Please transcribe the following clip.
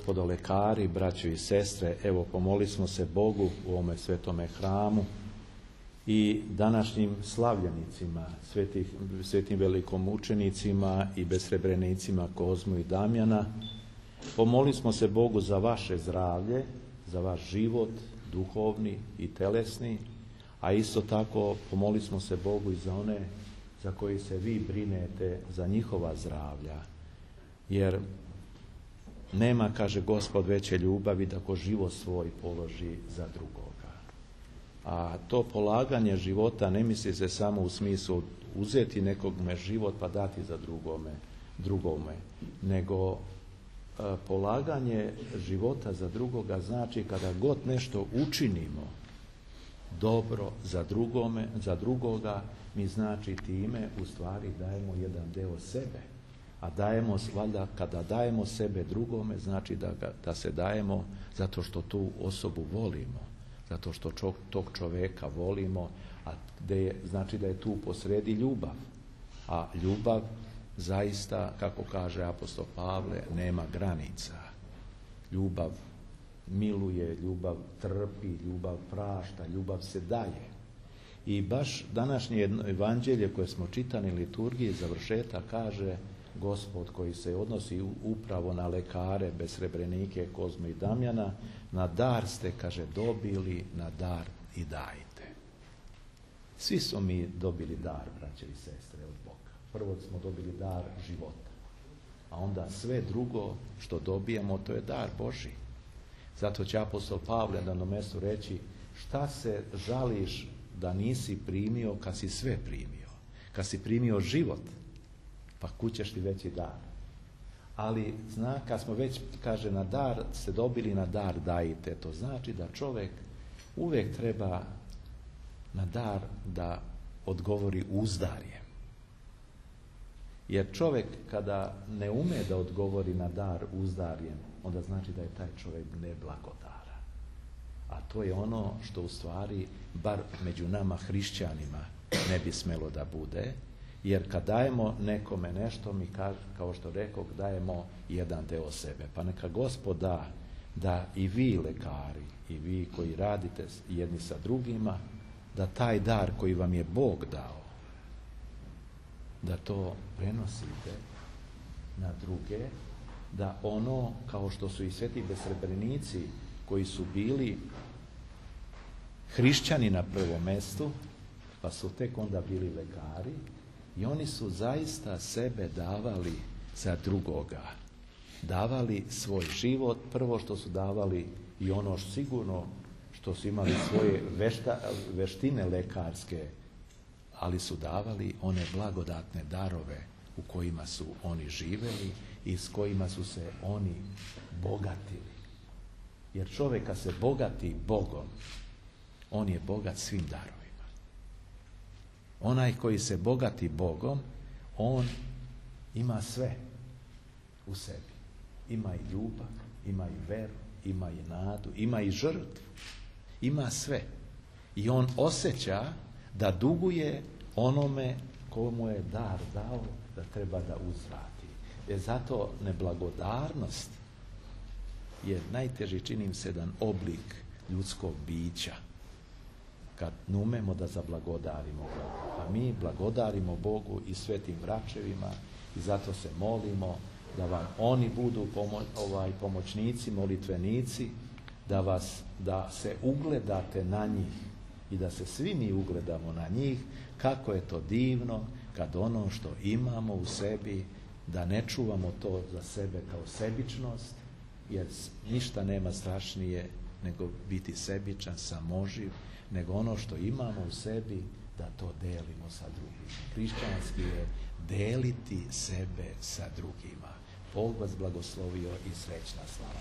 gospodo lekari, braćo i sestre, evo pomolili smo se Bogu u ovome svetome hramu i današnjim slavljenicima, svetim velikomučenicima i besrebrenicima Kozmu i Damjana. Pomolili smo se Bogu za vaše zdravlje, za vaš život, duhovni i telesni, a isto tako pomolili smo se Bogu i za one za koji se vi brinete, za njihova zdravlja. Jer nema, kaže Gospod, veće ljubavi da ko život svoj položi za drugoga. A to polaganje života ne misli se samo u smislu uzeti nekome život pa dati za drugome, nego polaganje života za drugoga znači kada god nešto učinimo dobro za drugoga, mi znači time u stvari dajemo jedan deo sebe. A dajemo, valjda, kada dajemo sebe drugome, znači da se dajemo zato što tu osobu volimo, zato što tog čoveka volimo, a znači da je tu posredi ljubav. A ljubav zaista, kako kaže apostol Pavle, nema granica. Ljubav miluje, ljubav trpi, ljubav prašta, ljubav se daje. I baš današnje evanđelje koje smo čitali liturgiji završeta kaže Gospod, koji se odnosi upravo na lekare, besrebrenike, Kozmu i Damjana, na dar ste, kaže, dobili, na dar i dajte. Svi smo mi dobili dar, braće i sestre, od Boga. Prvo smo dobili dar života, a onda sve drugo što dobijemo, to je dar Božji. Zato će apostol Pavle na jednom mjestu reći, šta se žališ da nisi primio kad si sve primio, kad si primio život, pa kućeš ti veći dar. Ali kad smo već, kaže, na dar ste dobili, na dar dajte. To znači da čovjek uvijek treba na dar da odgovori uzdarjem. Jer čovjek kada ne ume da odgovori na dar uzdarjem, onda znači da je taj čovjek neblagodaran. A to je ono što u stvari, bar među nama hrišćanima, ne bi smjelo da bude. Jer kad dajemo nekome nešto, mi, kao što rekao, dajemo jedan deo sebe. Pa neka Gospod da i vi lekari, i vi koji radite jedni sa drugima, da taj dar koji vam je Bog dao, da to prenosite na druge, da ono, kao što su i sveti besrebrenici koji su bili hrišćani na prvom mjestu, pa su tek onda bili lekari, i oni su zaista sebe davali za drugoga. Davali svoj život, prvo što su davali i ono sigurno što su imali svoje veštine lekarske, ali su davali one blagodatne darove u kojima su oni živeli i s kojima su se oni bogatili. Jer čovjek kad se bogati Bogom, on je bogat svim darovima. Onaj koji se bogati Bogom, on ima sve u sebi. Ima i ljubav, ima i veru, ima i nadu, ima i žrtvu. Ima sve. I on osjeća da duguje onome komu je dar dao, da treba da uzvrati. Jer zato neblagodarnost je najteži, čini se, jedan oblik ljudskog bića. Kad numemo da zablagodarimo Bogu. A mi blagodarimo Bogu i svetim vračevima i zato se molimo da vam oni budu pomoćnici, molitvenici, da se ugledate na njih i da se svi mi ugledamo na njih, kako je to divno kad ono što imamo u sebi, da ne čuvamo to za sebe kao sebičnost, jer ništa nema strašnije nego biti sebičan, samoživ, nego ono što imamo u sebi da to delimo sa drugima. Hrišćanski je deliti sebe sa drugima. Bog vas blagoslovio i srećna slava.